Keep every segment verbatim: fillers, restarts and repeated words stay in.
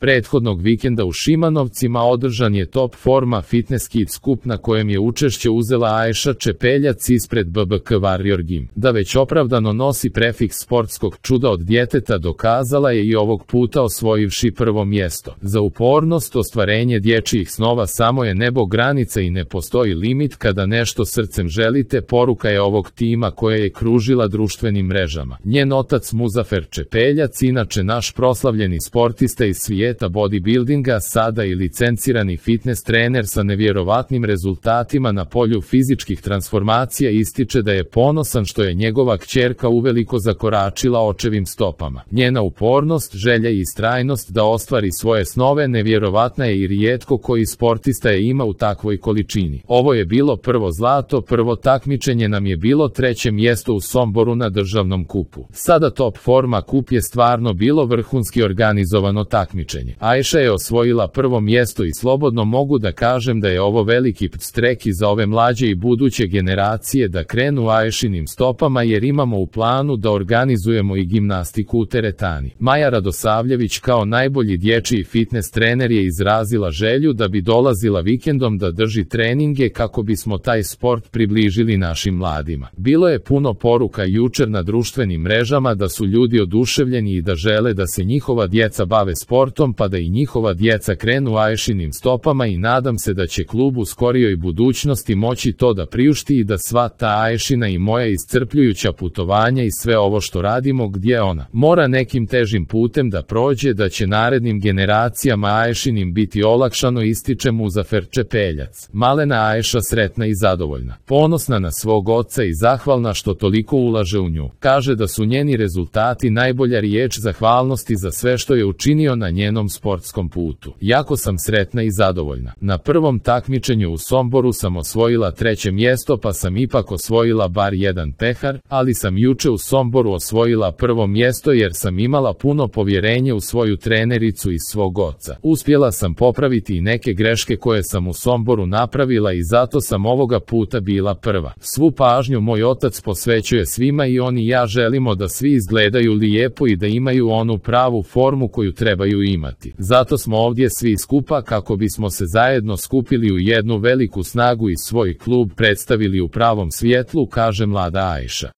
Prethodnog vikenda u Šimanovcima održan je Top Forma Fitness Kids skup na kojem je učešće uzela Ajša Čepeljac ispred B B K Warrior Gym. Da već opravdano nosi prefiks sportskog čuda od djeteta dokazala je i ovog puta osvojivši prvo mjesto. Za upornost, ostvarenje dječjih snova samo je nebo granica i ne postoji limit kada nešto srcem želite, poruka je ovog tima koja je kružila društvenim mrežama. Njen otac Muzafer Čepeljac, inače naš proslavljeni sportista iz svijeta bodybuildinga, sada i licencirani fitness trener sa nevjerovatnim rezultatima na polju fizičkih transformacija, ističe da je ponosan što je njegova kćerka uveliko zakoračila očevim stopama. Njena upornost, želja i istrajnost da ostvari svoje snove nevjerovatna je i rijetko koji sportista je ima u takvoj količini. Ovo je bilo prvo zlato, prvo takmičenje nam je bilo treće mjesto u Somboru na državnom kupu. Sada Top Forma kup je stvarno bilo vrhunski organizovano takmičenje. Ajša je osvojila prvo mjesto i slobodno mogu da kažem da je ovo veliki podstrek i za ove mlađe i buduće generacije da krenu Ajšinim stopama, jer imamo u planu da organizujemo i gimnastiku u teretani. Maja Radosavljević kao najbolji dječji fitness trener je izrazila želju da bi dolazila vikendom da drži treninge kako bismo taj sport približili našim mladima. Bilo je puno poruka jučer na društvenim mrežama da su ljudi oduševljeni i da žele da se njihova djeca bave sportom, pa da i njihova djeca krenu Ajšinim stopama, i nadam se da će klub u skorijoj budućnosti moći to da priušti i da sva ta Ajšina i moja iscrpljujuća putovanja i sve ovo što radimo gdje ona mora nekim težim putem da prođe, da će narednim generacijama Ajšinim biti olakšano, ističe Muzafer Čepeljac. Malena Ajša sretna i zadovoljna, ponosna na svog oca i zahvalna što toliko ulaže u nju. Kaže da su njeni rezultati najbolja riječ zahvalnosti za sve što je učinio na njenom sportskom putu. Jako sam sretna i zadovoljna. Na prvom takmičenju u Somboru sam osvojila treće mjesto, pa sam ipak osvojila bar jedan pehar, ali sam juče u Somboru osvojila prvo mjesto jer sam imala puno povjerenje u svoju trenericu i svog oca. Uspjela sam popraviti i neke greške koje sam u Somboru napravila i zato sam ovoga puta bila prva. Svu pažnju moj otac posvećuje svima i on i ja želimo da svi izgledaju lijepo i da imaju onu pravu formu koju trebaju imati. Zato smo ovdje svi skupa kako bismo se zajedno skupili u jednu veliku snagu i svoj klub predstavili u pravom svjetlu, kaže mlada Ajša.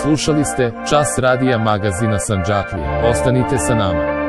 Slušali ste Čas radija magazina Sandžaklija. Ostanite sa nama.